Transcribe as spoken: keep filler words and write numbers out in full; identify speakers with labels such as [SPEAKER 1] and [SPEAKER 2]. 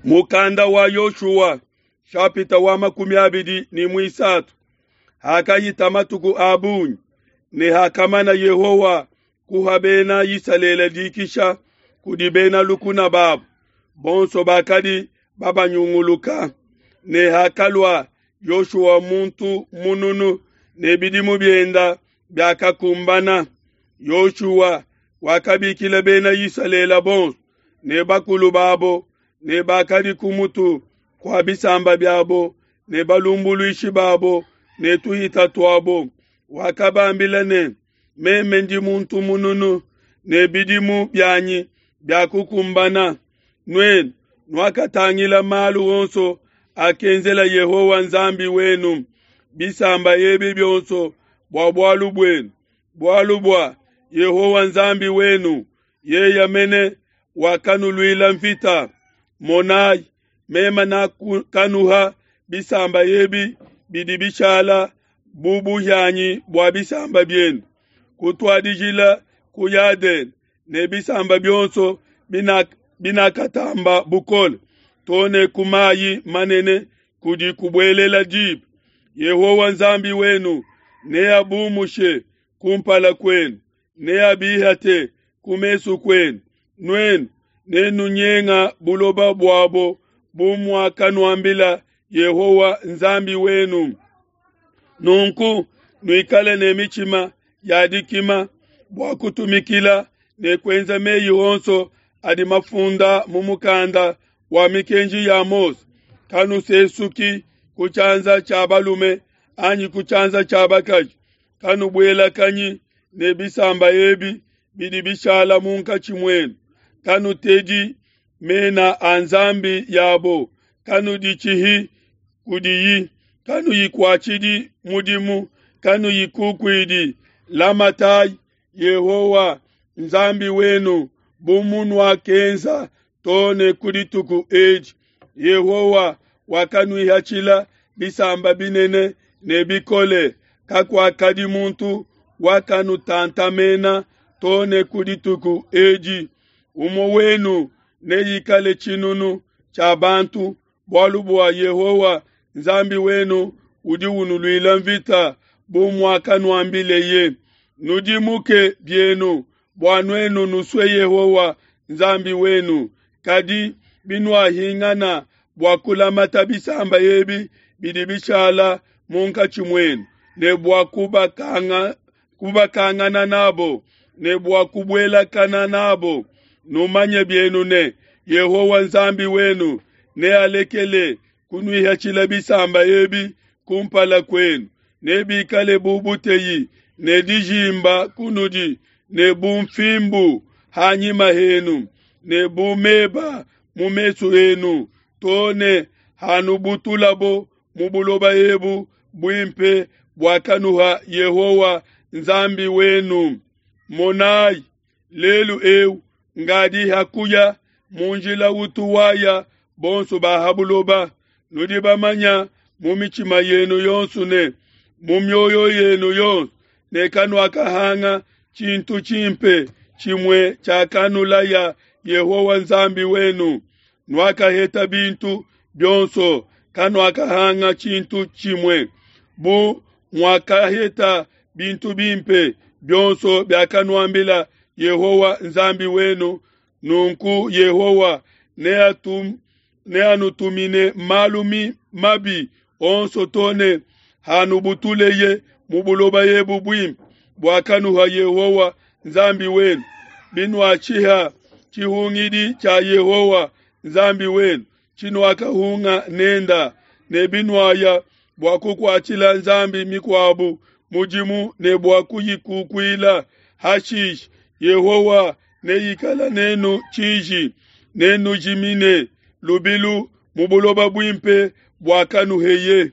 [SPEAKER 1] Mukanda wa Yoshua shapita wa makumi abidi ne muisatu. Hakahita matuku a bungi ne hakamana Yehowa kuha Bena Isalele dikisha kudi bena lukuna babo bonso bakadi babanyunguluka, ne hakalua Yoshua muntu mununu ne bidimu bienda biakakumbana, Yoshua wakabikila Bena Isalele bonso ne bakulu babo ne bakadi ku mutu kua bisamba biabo ne balumbuluishi babo ne tuhita tuabo. Wakabambila ne, meme ndi muntu mununu ne bidimu bianyi biakukumbana. Nuenu nuakatangila malu onso akenzela Yehowa Nzambi wenu bisamba ebi bionso bua bualu buenu, bualu bua Yehowa Nzambi wenu yeye mene wakanuluila mvita. Monai, meme nakanuha bisamba ebi bidi bishala bu buhianyi bua bisamba bienu, kutuadijila ku Yadene ne bisamba bionso binakatamba bukole, to ne ku mayi manene kudi kubuelela diba. Yehowa Nzambi wenu neabumushe kumpala kuenu, neabihate ku mesu kuenu. Nuenu nenunyenga buloba buabo bu muakanuambila Yehowa Nzambi wenu. Nunku nuikale ne mitshima ya dikima bua kutumikila ne kuenza meyi onso adi mafunda mu mukanda wa mikenji ya Mose. Kanusesuki ku tshianza tshia balume anyi ku tshianza tshia bakaji. Kanubuelakanyi ne bisamba ebi bidi bishala munkatshi muenu. Kanutedi mena a nzambi yabo, kanuditshihi kudiyi, kanuyikuatshidi mudimu, kanuyikukuidi. Lamatai Yehowa Nzambi wenu bu munuakenza to ne ku dituku edi. Yehowa wakanuihatshila bisamba binene ne bikole, kakuakadi muntu wakanutantamena to ne ku dituku edi. Umue wenu neikale tshinunu tshia bantu, bualu bua Yehowa Nzambi wenu udi unuluila mvita bu muakanuambileye. Nudimuke bienu bua nuenu nusue Yehowa Nzambi wenu. Kadi binuahingana bua kulamata bisamba ebi bidi bishala munkatshi muenu, ne bua kubakanga, kubakangana nabo, ne bua kubuelakana nabo, numanye bienu ne, Yehowa Nzambi wenu nealekele kunuihatshila bisamba ebi kumpala kuenu, nebikale bu buteyi ne dijimba kunudi, ne bu mfimbu hanyima henu, ne bu meba mu mesu enu, to ne hanubutulabo mu buloba ebu buimpe buakanuha Yehowa Nzambi wenu. Monai, lelu eu ngadi hakuya mu njila utu waya bonso ba ha buloba. Nudi bamanya mu mitshima yenu yonso ne mu mioyo yenu yonso ne kanuakahanga tshintu tshimpe tshimue tshiakanulaya Yehowa Nzambi wenu. Nuakaheta bintu bionso, kanuakahanga tshintu tshimue. Bu muakaheta bintu bimpe bionso biakanuambila Yehowa Nzambi wenu, nunku Yehowa neatum, neanutumine malu mabi onso to ne hanubutuleye mu buloba ebu buimpe buakanuha Yehowa Nzambi wenu. Binuatshiha tshihungidi tshia Yehowa Nzambi wenu tshinuakahunga nenda, ne binuaya bua kukuatshila nzambi mikuabu mudimu ne bua kuyikukuila, hashishe Yehowa neikala nenu tshiji, nenujimine lubilu mu buloba buimpe buakanuheye.